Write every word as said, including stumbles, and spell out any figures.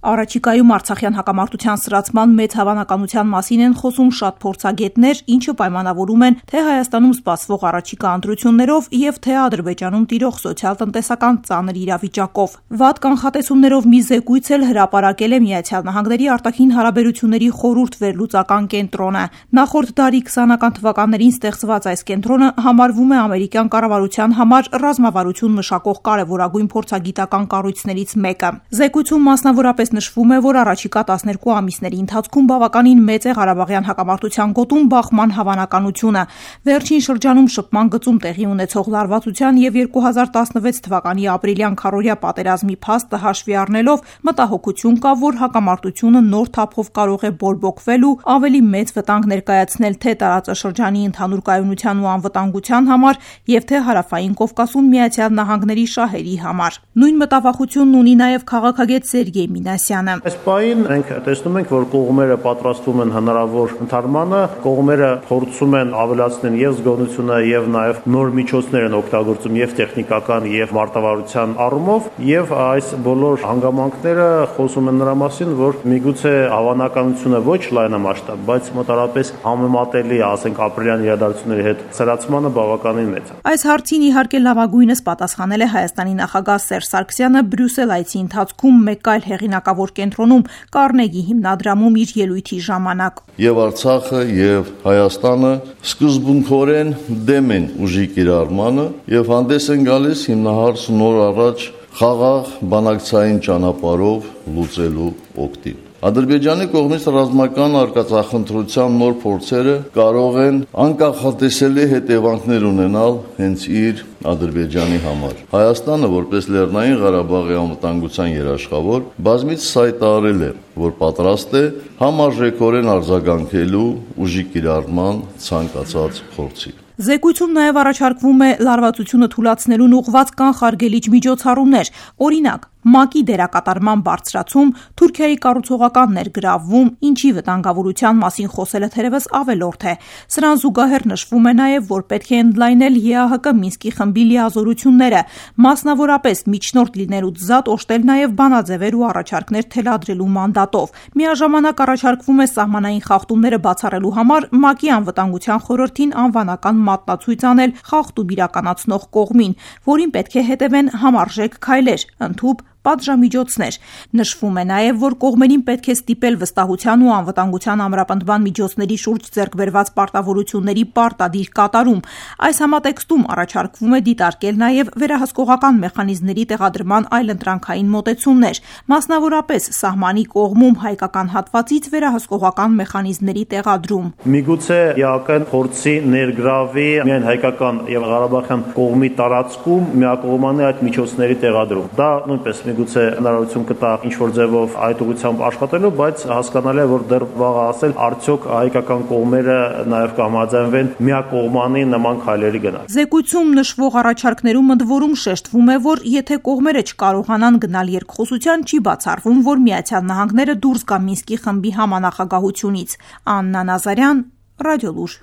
Առաջիկայում արցախյան հակամարտության սրացման մեծ հավանականության մասին են խոսում շատ փորձագետներ, ինչը պայմանավորում են թե Հայաստանում սպասվող առաջիկա ընտրություններով եւ թե Ադրբեջանում տիրող սոցիալ-տնտեսական ծանր իրավիճակով։ Վատ կանխատեսումներով մի զեկույց էլ հրապարակել է Միացյալ Նահանգների արտաքին հարաբերությունների խորհուրդ վերլուծական կենտրոնը։ Նախորդ դարի քսանական թվականներին ստեղծված այս կենտրոնը համարվում է ամերիկյան կառավարության համար ռազմավարություն մշակող կարևորագույն փորձագիտական կառույցներից մեկը։ Զեկույցում մասնավորապես նշվում է, որ առաջիկա տասներկու ամիսների ընթացքում բավականին մեծ է Ղարաբաղյան հակամարտության գոտում բախման հավանականությունը։ Վերջին շրջանում շփման գծում տեղի ունեցող լարվածության եւ երկու հազար տասնվեց թվականի ապրիլյան քառօրյա պատերազմի փաստը հաշվի առնելով մտահոգություն կա, որ հակամարտությունը նոր թափով կարող է բորբոքվել ու ավելի մեծ վտանգ ներկայացնել թե տարածաշրջանի ընդհանուր կայունության ու անվտանգության համար եւ թե Հարավային Կովկասում Միացյալ Նահանգների շահերի համար։ Նույն մտավախությունն ունի նաեւ քաղաքագետ Սերգեյ Մինասյանը։ Այս պահին մենք տեսնում ենք, որ կողմերը պատրաստվում են հնարավոր ընդհանրմանը, կողմերը փորձում են ավելացնել եւ զգոնությունը եւ նաեւ նոր միջոցներ են օգտագործում եւ տեխնիկական եւ մարտավարության առումով, եւ այս բոլոր հանգամանքները խոսում են նրա մասին, որ միգուցե հավանականությունը ոչ լայնամասշտաբ, բայց մոտավորապես համեմատելի, ասենք ապրիլյան իրադարձությունների հետ սրացմանը բավականին մեծ է։ Այս հարցին իհարկե լավագույնս պատասխանել է Հայաստանի նախագահ Սերժ Սարգսյանը Բրյուսել այցի ընթացքում մեկ այլ հեղինակավոր կենտրոնում Կարնեգի հիմնադրամում իր ելույթի ժամանակ։ Եվ Արցախը եւ Հայաստանը սկզբունքորեն դեմ են ուժի կիրառմանը եւ հանդես են գալիս հիմնահարց նոր առաջ խաղաղ բանակցային ճանապարհով լուծելու օգտին։ Ադրբեջանի կողմից ռազմական արկածախնդրության նոր փորձերը կարող են անկախատեսելի հետևանքներ ունենալ հենց իր Ադրբեջանի համար։ Հայաստանը, որպես Լեռնային Ղարաբաղի անվտանգության երաշխավոր, բազմիցս հայտարարել է, որ պատրաստ է համարժեքորեն արձագանքելու ուժի կիրառման ցանկացած փորձի։ Զեկույցում նաև առաջարկվում է լարվածությունը թույլատնելուն ուղղված կանխարգելիչ միջոցառումներ, օրինակ ՄԱԿ-ի դերակատարման բարձրացում, Թուրքիայի կառուցողական ներգրավվում, ինչի վտանգավորության մասին խոսելը թերևս ավելորդ է։ Սրան զուգահեռ նշվում է նաև, որ պետք է ընդլայնել ԵԱՀԿ Մինսկի խմբի լիազորությունները, մասնավորապես միջնորդ լինելուց զատ օժտել նաև բանաձևեր ու առաջարկներ թելադրելու մանդատով։ Միաժամանակ առաջարկվում է սահմանային խախտումները բացառելու համար ՄԱԿ-ի անվտանգության խորհրդին անվանական մատնացույց անել խախտում իրականացնող կողմին, որին պետք է հետևեն համարժեք քայլեր, ընդհուպ պատժամիջոցներ։ Նշվում է նաև, որ կողմերին պետք է ստիպել վստահության ու անվտանգության ամրապնդման միջոցների շուրջ ձեռք բերված պարտավորությունների պարտադիր կատարում։ Այս համատեքստում առաջարկվում է դիտարկել նաև վերահսկողական մեխանիզմների տեղադրման այլընտրանքային մոտեցումներ, մասնավորապես սահմանի կողմում հայկական հատվածից վերահսկողական մեխանիզմների տեղադրում։ Միգուցե ԵԱՀԿ-ն փորձի ներգրավի միայն հայկական եւ ղարաբաղյան կողմի տարածքում միակողմանի այդ միջոցների տեղադրում։ Դա նույնպես միգուցե հնարավորություն կտա ինչ-որ ձևով այդ ուղղությամբ աշխատելու, բայց հասկանալի է, որ դեռ վաղ է ասել, արդյոք հայկական կողմերը նաև կհամաձայնվեն միակողմանի նման քայլերի գնալ։ Զեկույցում նշվող առաջարկներում ընդ որում շեշտվում է, որ եթե կողմերը չկարողանան գնալ երկխոսության, չի բացառվում, որ Միացյալ Նահանգները դուրս գա Մինսկի խմբի համանախագահությունից։ Աննա Նազարյան, Ռադիոլուր։